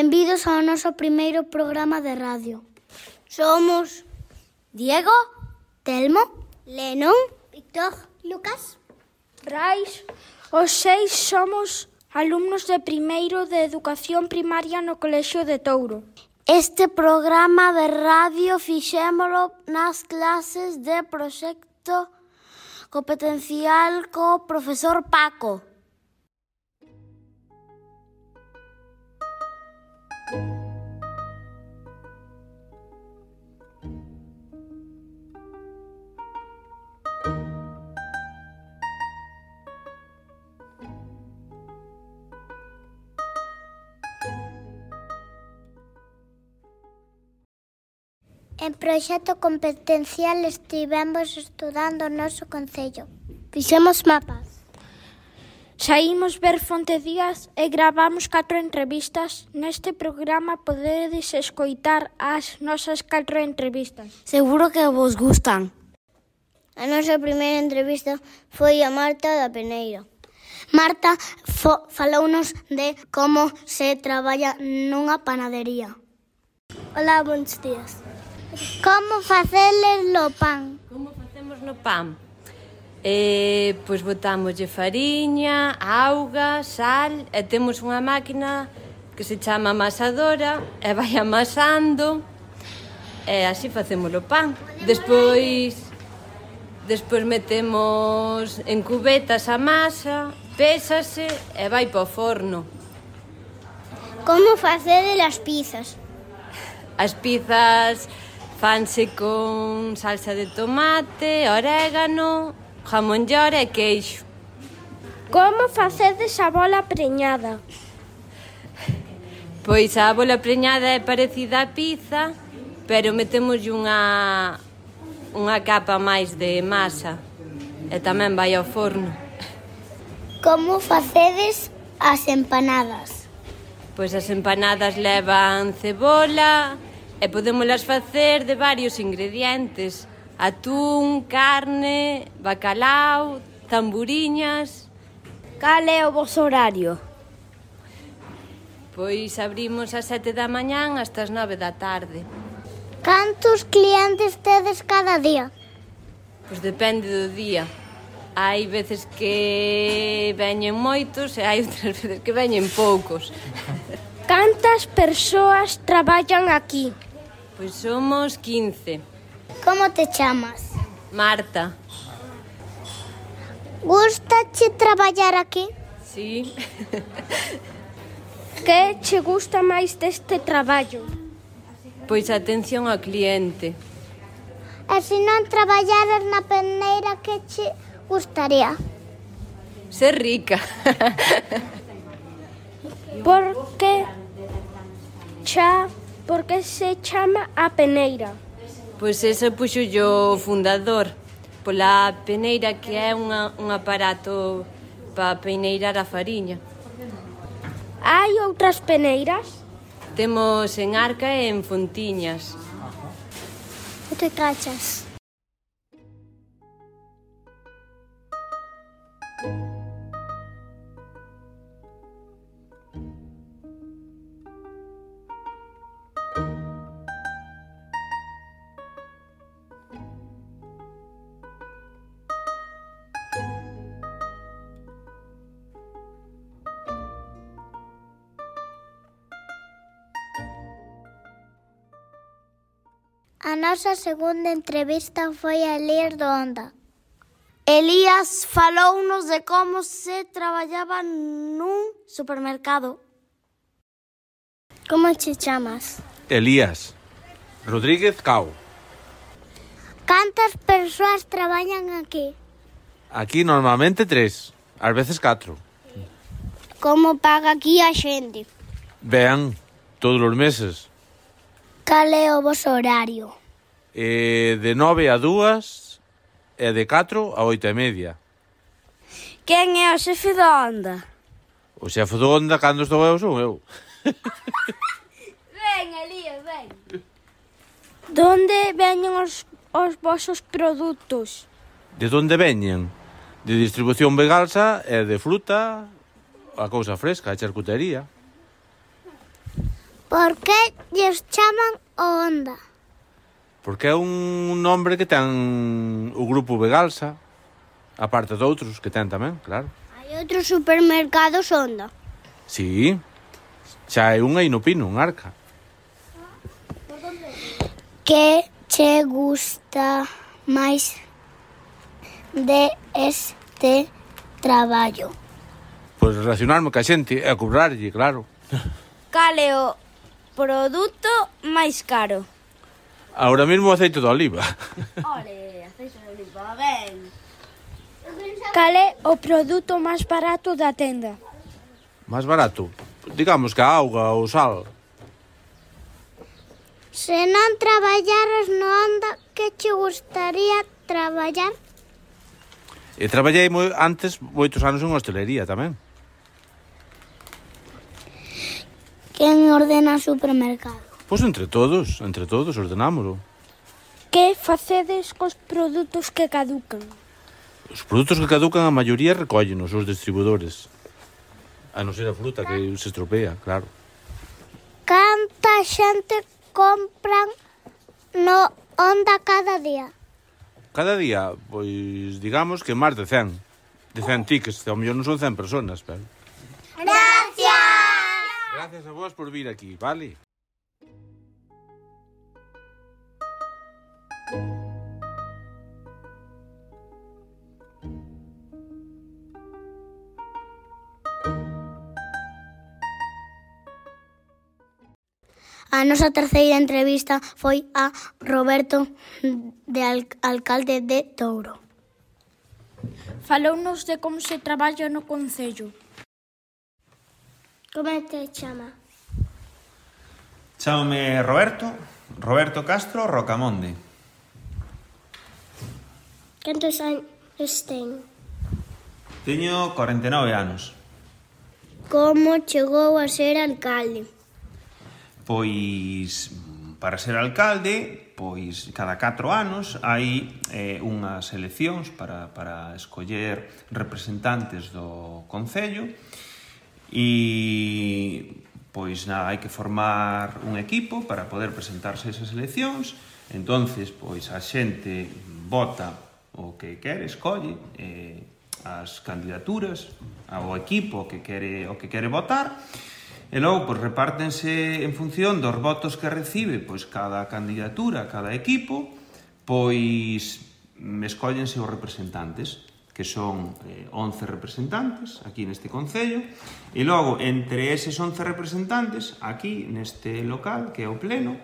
Benvidos ao noso primeiro programa de radio. Somos Diego, Telmo, Lenón, Víctor, Lucas, Brais. Os 6 somos alumnos de primeiro de Educación Primaria no Colexio de Touro. Este programa de radio fixémolo nas clases de proxecto competencial co profesor Paco. En proxecto competencial estivemos estudando o noso concello. Fixemos mapas. Saímos ver Fonte Díaz e gravamos 4 entrevistas. Neste programa podedes escoitar as nosas 4 entrevistas. Seguro que vos gustan. A nosa primeira entrevista foi a Marta da Peneira. Marta falounos de como se traballa nunha panadería. Hola, bons días. Como faceles o pan? Como facemos no pan? Pois botámoslle fariña, auga, sal e temos unha máquina que se chama amasadora e vai amasando e así facemos o pan. Despois metemos en cubetas a masa, pésase e vai para o forno. Como facedes as pizzas? As pizzas fanse con salsa de tomate, orégano, jamón york e queixo. Como facedes a bola preñada? Pois a bola preñada é parecida á pizza, pero metemoslle unha capa máis de masa e tamén vai ao forno. Como facedes as empanadas? Pois as empanadas levan cebola e podémolas facer de varios ingredientes: atún, carne, bacalao, tamburiñas. Cal é o voso horario? Pois abrimos ás 7 da mañán hasta as 9 da tarde. Cantos clientes tedes cada día? Pois depende do día. Hai veces que veñen moitos e hai outras veces que veñen poucos. Cantas persoas traballan aquí? Pois somos 15. Como te chamas? Marta. Gústache traballar aquí? Sí. Que che gusta máis deste traballo? Pois a atención ao cliente. E se non traballaras na peneira, que che gustaría? Ser rica. Por que se chama a peneira? Pois ese puxollo o fundador, pola peneira, que é un aparato para peneirar a fariña. Hai outras peneiras? Temos en Arca e en Fontiñas. Non te cachas? A nosa segunda entrevista foi a Elías do Onda. Elías falounos de como se traballaba nun supermercado. Como te chamas? Elías Rodríguez Cao. Cantas persoas traballan aquí? Aquí normalmente 3, ás veces 4. Como paga aquí a xente? Ben, todos os meses. Cal é o voso horario? De 9 a 2 e de 4 a 8:30. Quen é o xefe da Onda? O xefe do Onda, cando estou eu, son eu. Ven, Elías, ven. Donde veñen os vosos produtos? De onde veñen? De distribución vegalsa e de fruta, a cousa fresca, a charcutería. Por que lles chaman o Honda? Porque é un nombre que ten o grupo Vegalsa, aparte de outros que ten tamén, claro. Hai outros supermercados Honda. Sí, xa hai unha aí no Pino, en Arca. Que che gusta máis de este traballo? Pois relacionarme ca xente e cobrarlle, claro. Cal é o produto máis caro? Ahora mesmo o aceite de oliva. Ole, aceite de oliva, ben. Cal é o produto máis barato da tenda? Máis barato? Digamos que a auga ou sal. Se non traballaras no Honda, que che gustaría traballar? E traballei antes moitos anos en hostelería tamén. Quen ordena o supermercado? Pois entre todos ordenámoslo. Que facedes cos produtos que caducan? Os produtos que caducan a maioría recóllenos os distribuidores. A non ser a fruta que se estropea, claro. Canta xente compran no Honda cada día? Cada día, pois, digamos que máis de 100. De 100 tickets, ao mellor non son 100 personas, pero... Gracias a vos por vir aquí, vale? A nosa terceira entrevista foi a Roberto, alcalde de Touro. Falounos de como se traballa no concello. Como te chama? Chámame Roberto Castro Rocamonde. Cantos anos ten? Teño 49 anos. Como chegou a ser alcalde? Pois, para ser alcalde, pois cada 4 anos hai unhas eleccións para escoller representantes do concello e, pois nada, hai que formar un equipo para poder presentarse a esas eleccións. Entonces, pois a xente vota o que quere, escolle as candidaturas ao equipo que quere votar. E logo, pois, repártense en función dos votos que recibe pois cada candidatura, cada equipo, pois escóllense os representantes, que son 11 representantes aquí neste concello, e logo, entre eses 11 representantes, aquí neste local, que é o pleno,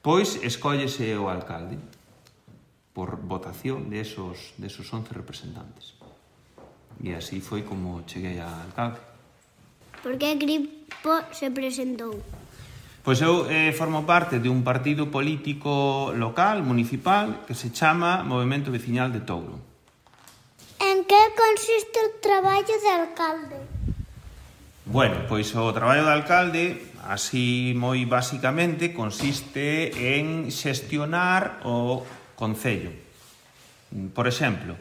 pois escóllese o alcalde, por votación de esos 11 representantes. E así foi como cheguei a alcalde. Por que grupo se presentou? Pois eu formo parte de un partido político local, municipal, que se chama Movemento Veciñal de Touro. En que consiste o traballo de alcalde? Bueno, pois o traballo de alcalde, así moi basicamente, consiste en xestionar o concello. Por exemplo,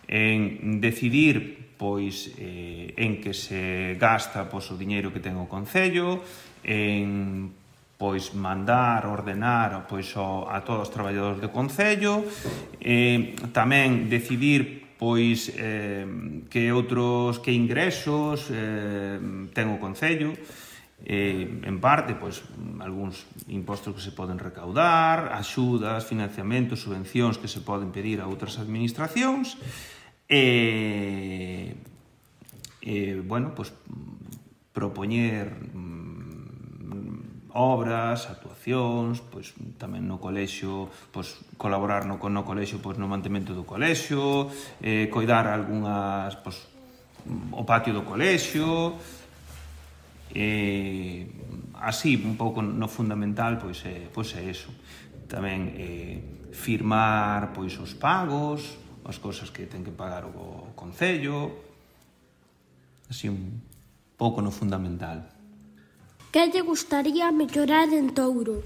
en decidir pois en que se gasta pois o diñeiro que ten o concello, en pois mandar, ordenar pois a todos os traballadores do concello, tamén decidir pois que ingresos ten o concello, en parte pois algúns impostos que se poden recaudar, axudas, financiamentos, subvencións que se poden pedir a outras administracións. Bueno, pues propoñer obras, actuacións, pois tamén no colexio, pois colaborar no colexio, pois no mantemento do colexio, coidar algunhas, pois o patio do colexio, así un pouco no fundamental, pois é eso. Tamén firmar pois os pagos, as cousas que ten que pagar o concello, así un pouco no fundamental. Que lle gustaría mellorar en Touro?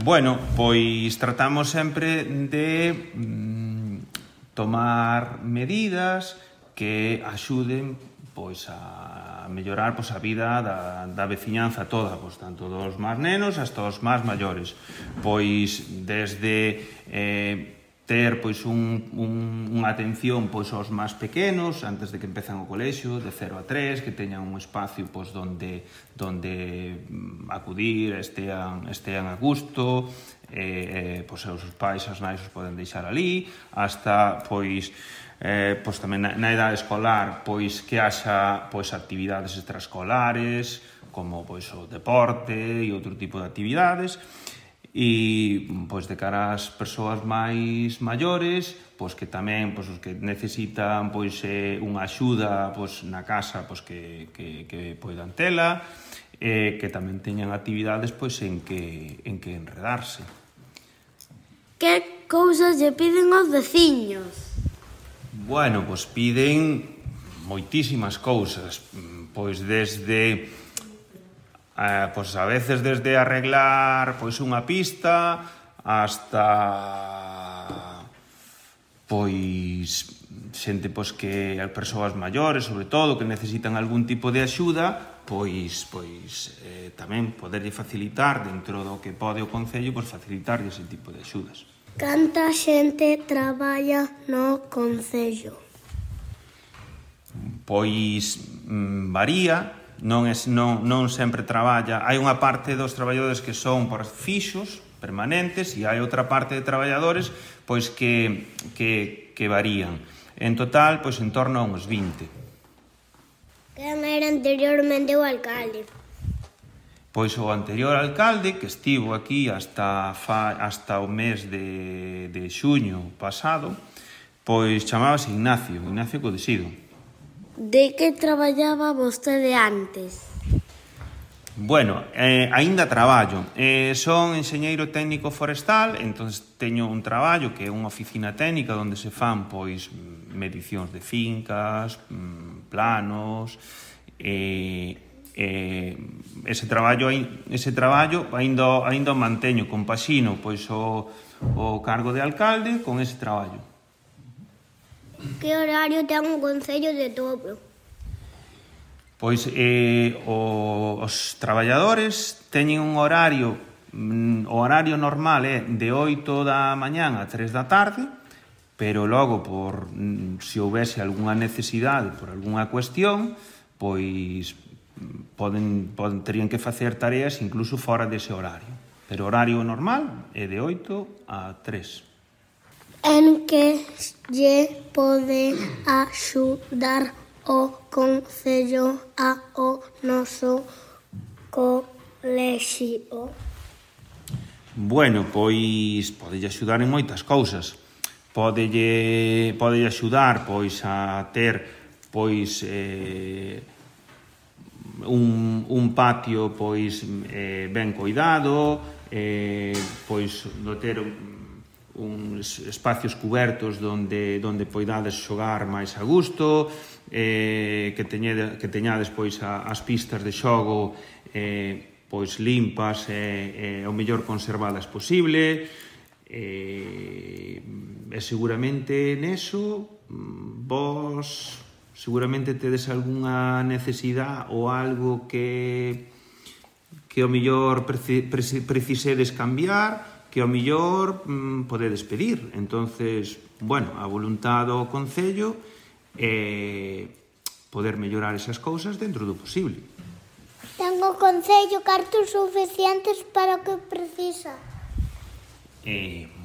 Bueno, pois tratamos sempre de tomar medidas que axuden pois a mellorar pois a vida da veciñanza toda, pois tanto dos máis nenos hasta os máis maiores. Pois desde ter pois unha atención pois aos máis pequenos antes de que empezan o colexio, de 0 a 3, que teñan un espacio pois donde acudir, estean a gusto, pois os pais, as nais os poden deixar ali, hasta pois tamén na idade escolar pois que haxa pois actividades extraescolares como pois o deporte e outro tipo de actividades. E pois de cara ás persoas máis maiores, pois que tamén pois os que necesitan pois unha axuda pois na casa pois que poidan tela, que tamén teñan actividades pois en que enredarse. Que cousas lle piden aos veciños? Bueno, pois piden moitísimas cousas, pois desde pois a veces desde arreglar pois unha pista hasta pois xente pois que persoas maiores, sobre todo, que necesitan algún tipo de axuda, pois tamén poderlle facilitar dentro do que pode o Concello, pois facilitarlle ese tipo de axudas. Canta xente traballa no Concello? Pois varía. Non sempre traballa. Hai unha parte dos traballadores que son por fixos, permanentes, e hai outra parte de traballadores pois que varían. En total, pois en torno a uns 20. Quen era anteriormente o alcalde? Pois o anterior alcalde, que estivo aquí hasta o mes de xuño pasado, pois chamábase Ignacio Codesido. De que traballaba vostede antes? Bueno, aínda traballo. Son enxeñeiro técnico forestal, entón teño un traballo que é unha oficina técnica onde se fan pois medicións de fincas, planos, ese traballo aínda o manteño, compaxino pois o cargo de alcalde con ese traballo. Que horario ten o Concello de Tobro? Pois os traballadores teñen un horario, o horario normal é de 8 da mañán a 3 da tarde, pero logo, se houvese algunha necesidade por algunha cuestión, pois terían que facer tareas incluso fora dese horario. Pero o horario normal é de 8 a 3. En que lle pode axudar o Concello ao noso colexio? Bueno, pois podelle axudar en moitas cousas. Podelle axudar pois a ter pois un patio pois ben coidado, pois no ter uns espacios cubertos onde poidades xogar máis a gusto, que teñades pois as pistas de xogo pois limpas e o mellor conservadas posible, e seguramente neso vos seguramente tedes algunha necesidade ou algo que o mellor precisedes cambiar, que ao mellor podedes pedir. Entonces, bueno, a voluntad do Concello é poder mellorar esas cousas dentro do posible. Ten o Concello cartos suficientes para o que precisa?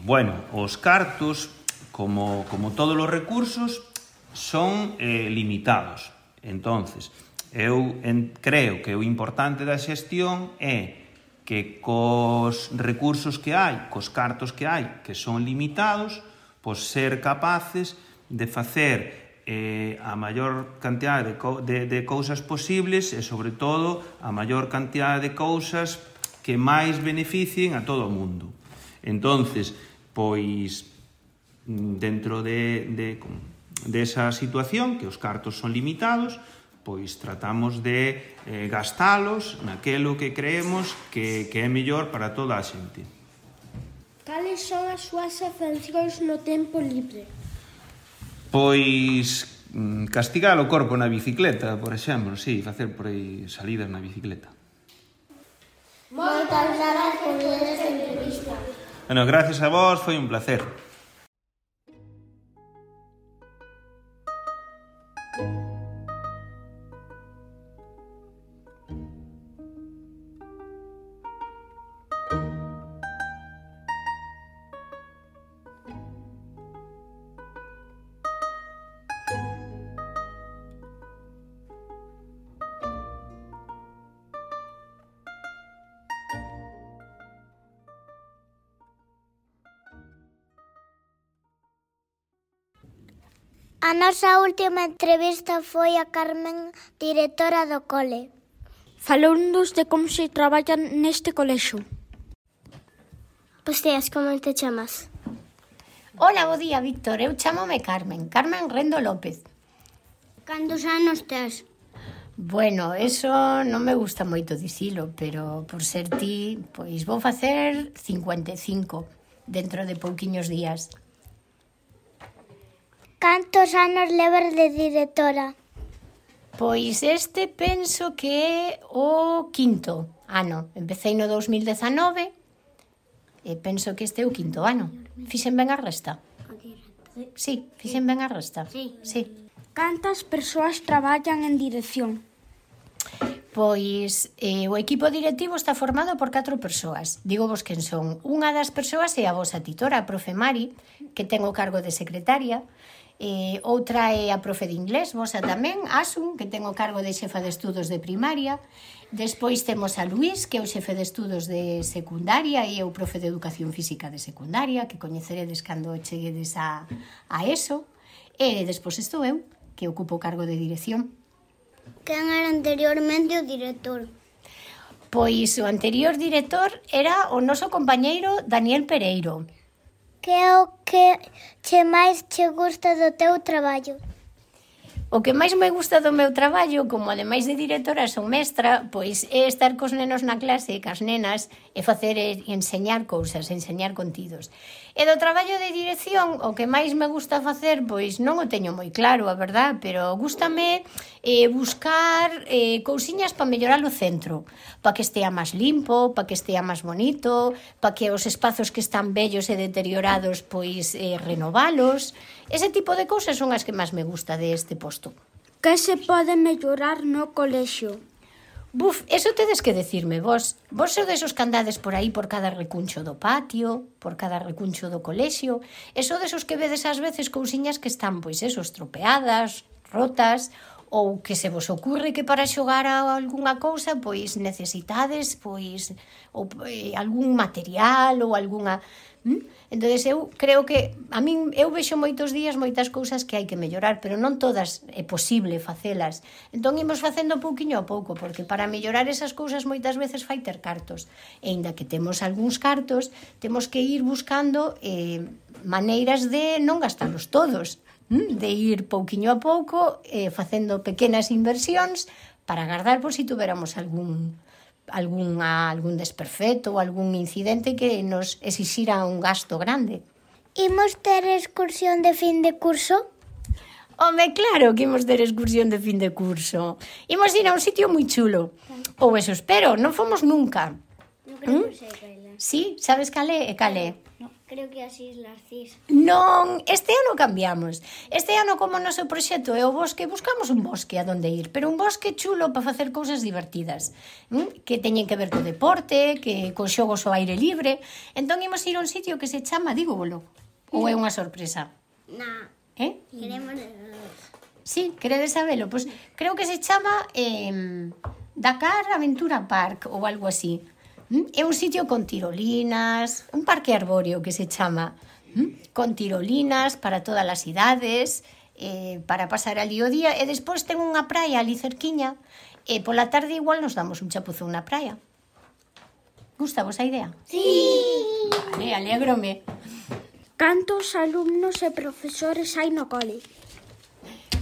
Bueno, os cartos, como todos os recursos, son limitados. Entonces, eu creo que o importante da xestión é que cos recursos que hai, cos cartos que hai, que son limitados, pois ser capaces de facer a maior cantidade de cousas posibles e, sobre todo, a maior cantidade de cousas que máis beneficien a todo o mundo. Entonces, pois, dentro desa situación, que os cartos son limitados, pois tratamos de gastalos naquelo que creemos que é mellor para toda a xente. Cales son as súas afeccións no tempo libre? Pois castigar o corpo na bicicleta, por exemplo, sí, facer por aí salidas na bicicleta. Moitas grazas por esta entrevista. Bueno, gracias a vos, foi un placer. A nosa última entrevista foi a Carmen, directora do cole. Falounos de como se traballa neste colexo. Bos días, como te chamas? Hola, bo día, Víctor. Eu chámome Carmen Rendo López. Cantos anos tes? Bueno, eso non me gusta moito dicilo, pero por ser ti, pois vou facer 55 dentro de pouquiños días. Cantos anos levas de directora? Pois este penso que é o quinto ano. Empecei no 2019 e penso que este é o quinto ano. Fixen ben a resta? Sí, fixen ben a resta. Sí. Cantas persoas traballan en dirección? Pois o equipo directivo está formado por 4 persoas. Digo vos quen son. Unha das persoas é a vosa titora, a profe Mari, que ten o cargo de secretaria. Outra é a profe de inglés, vosa tamén, Asun, que ten o cargo de xefa de estudos de primaria. Despois temos a Luís, que é o xefe de estudos de secundaria e é o profe de educación física de secundaria, que coñeceredes cando cheguedes a ESO. E despois estou eu, que ocupo o cargo de dirección. Quen era anteriormente o director? Pois o anterior director era o noso compañeiro Daniel Pereiro. Que é o que máis che gusta do teu traballo? O que máis me gusta do meu traballo, como ademais de directora son mestra, pois é estar cos nenos na clase, cas nenas, e facer e enseñar cousas, enseñar contidos. E do traballo de dirección, o que máis me gusta facer, pois non o teño moi claro, a verdad, pero gústame buscar cousiñas para mellorar o centro, para que estea máis limpo, para que estea máis bonito, para que os espazos que están vellos e deteriorados, pois renovalos. Ese tipo de cousas son as que máis me gusta deste posto. Que se pode mellorar no colexio? Buf, eso tedes que decirme vos. Vos sodes os que andades por aí por cada recuncho do patio, por cada recuncho do colexio, e sodes os que vedes ás veces cousiñas que están, pois eso, estropeadas, rotas, ou que se vos ocurre que para xogar a algunha cousa, pois necesitades, pois, ou algún material ou algunha... Entonces eu creo que a min eu vexo moitos días moitas cousas que hai que mellorar, pero non todas é posible facelas. Entón imos facendo pouquiño a pouco, porque para mellorar esas cousas moitas veces fai ter cartos. E aínda que temos algúns cartos, temos que ir buscando maneiras de non gastalos todos, de ir pouquiño a pouco facendo pequenas inversións para agardar por si tuveramos algún desperfecto ou algún incidente que nos exixira un gasto grande. Imos ter excursión de fin de curso? Home, claro que imos ter excursión de fin de curso. Imos ir a un sitio moi chulo. Ou eso espero, non fomos nunca. Non creo que sei cale. Sí, sabes cale? E cale? No, creo que as Islas Cís. Non, este ano cambiamos. Este ano, como o noso proxecto é o bosque, buscamos un bosque a donde ir, pero un bosque chulo para facer cousas divertidas, que teñen que ver co deporte, que co xogos ao aire libre. Entón imos ir a un sitio que se chama, dígolo, ou é unha sorpresa? Na, queremos... Sí, queredes sabelo? Pois creo que se chama Dakar Aventura Park ou algo así. É un sitio con tirolinas, un parque arbóreo que se chama, con tirolinas para todas as idades, para pasar ali o día, e despois ten unha praia ali cerquiña, e pola tarde igual nos damos un chapuzón na praia. Gusta vos a idea? Sí! Vale, alégrome. Cantos alumnos e profesores hai no cole?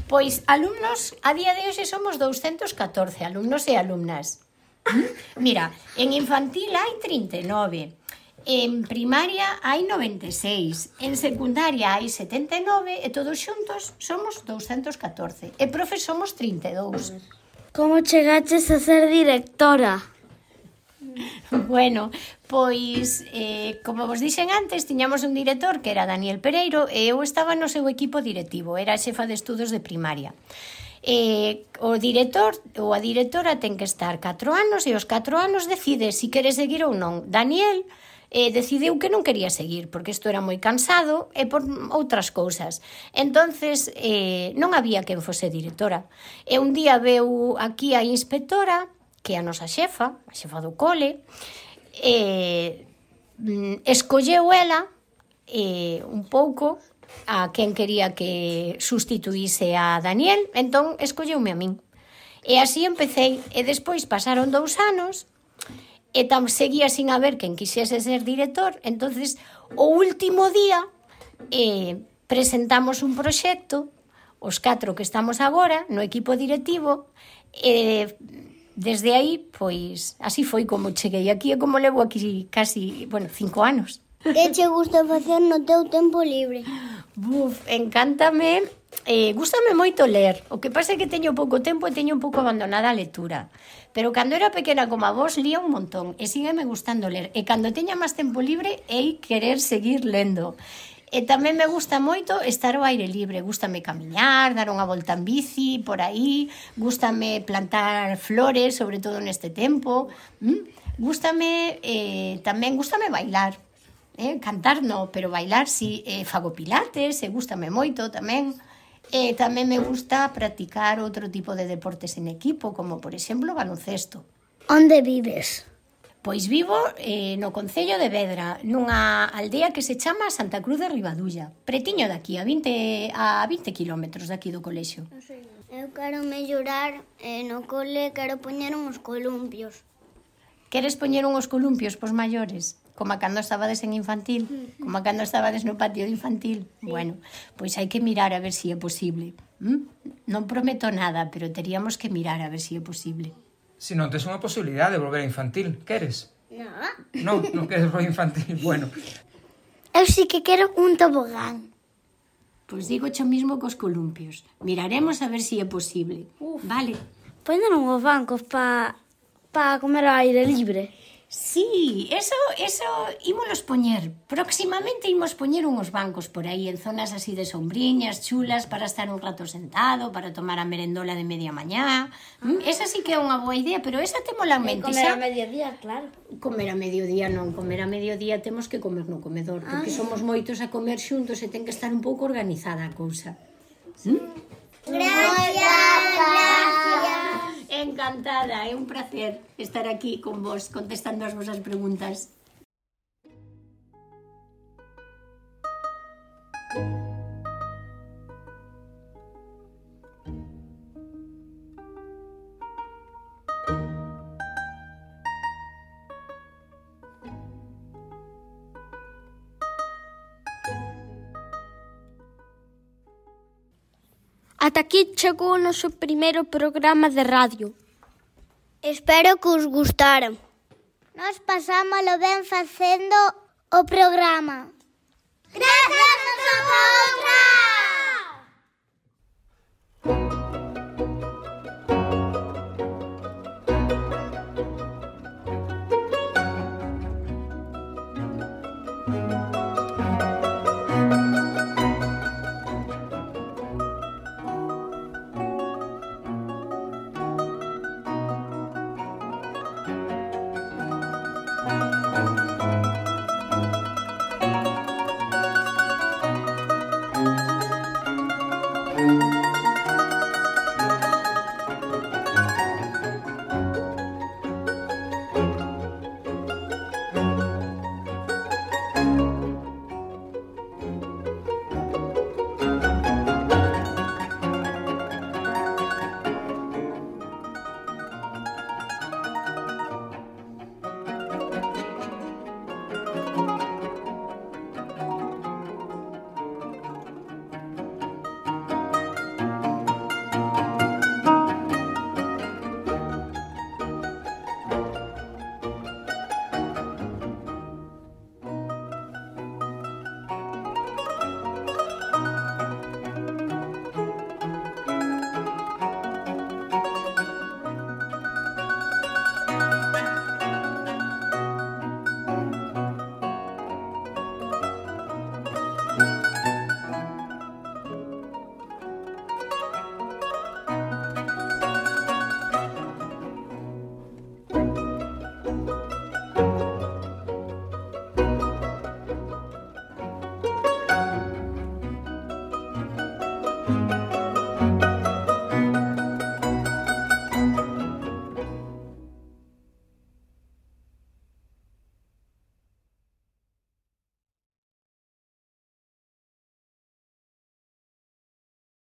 Pois alumnos, a día de hoxe somos 214 alumnos e alumnas. Mira, en infantil hai 39, En primaria hai 96, en secundaria hai 79 e todos xuntos somos 214. E profes somos 32. Como chegaches a ser directora? Bueno, pois, como vos dixen antes, tiñamos un director que era Daniel Pereiro e eu estaba no seu equipo directivo, era xefa de estudos de primaria. O director ou a directora ten que estar 4 anos e aos 4 anos decide se quere seguir ou non. Daniel decidiu que non quería seguir porque isto era moi cansado e por outras cousas. Entonces non había quen fose directora. E un día veu aquí a inspectora, que é a nosa xefa, a xefa do cole, escolleu ela un pouco a quen quería que sustituíse a Daniel, entón escolleume a min. E así empecé, e despois pasaron 2 anos, e seguía sin haber quen quixese ser director, entonces o último día presentamos un proxecto, os 4 que estamos agora, no equipo directivo, e desde aí, pois, así foi como cheguei aquí e como levo aquí casi, 5 anos. Que che gusta facer no teu tempo libre? Encántame, gústame moito ler. O que pasa é que teño pouco tempo e teño un pouco abandonada a lectura. Pero cando era pequena como a vos, lía un montón e sígueme gustando ler. E cando teña máis tempo libre, hei querer seguir lendo. E tamén me gusta moito estar ao aire libre. Gústame camiñar, dar unha volta en bici, por aí. Gústame plantar flores, sobre todo neste tempo. Gústame, tamén gústame bailar. Cantar no, pero bailar si, fago pilates, gústame moito tamén. Tamén me gusta practicar outro tipo de deportes en equipo, como por exemplo baloncesto. Onde vives? Pois vivo no concello de Vedra, nunha aldea que se chama Santa Cruz de Ribadulla, pretiño daqui, a 20 kilómetros daqui do colexio. Eu quero mellorar no cole, quero poñer uns columpios. Queres poñer uns columpios pos maiores? Como cando estabades en infantil? Como cando estabades no patio de infantil? Sí. Bueno, pois hai que mirar a ver se é posible. Non prometo nada, pero teríamos que mirar a ver se é posible. Si non tes unha posibilidade de volver a infantil, queres? No. Non queres volver a infantil, bueno. Eu sí que quero un tobogán. Pois digo xo mismo cos columpios. Miraremos a ver se é posible. Vale. Poñeron os bancos pa comer ao aire libre. Sí, eso ímolos poñer. Próximamente imos poñer uns bancos por aí en zonas así de sombriñas, chulas, para estar un rato sentado, para tomar a merendola de media mañá. Esa sí que é unha boa idea, pero esa témola en mente. Comer a mediodía, claro. Comer a mediodía non, comer a mediodía temos que comer no comedor, porque somos moitos a comer xuntos e ten que estar un pouco organizada a cousa. Gracias. Encantada, é un placer estar aquí con vos contestando as vosas preguntas. Ata aquí chegou o noso primeiro programa de radio. Espero que os gustaran. Nos pasámoslo ben facendo o programa. Grazas a vosotras! Thank you.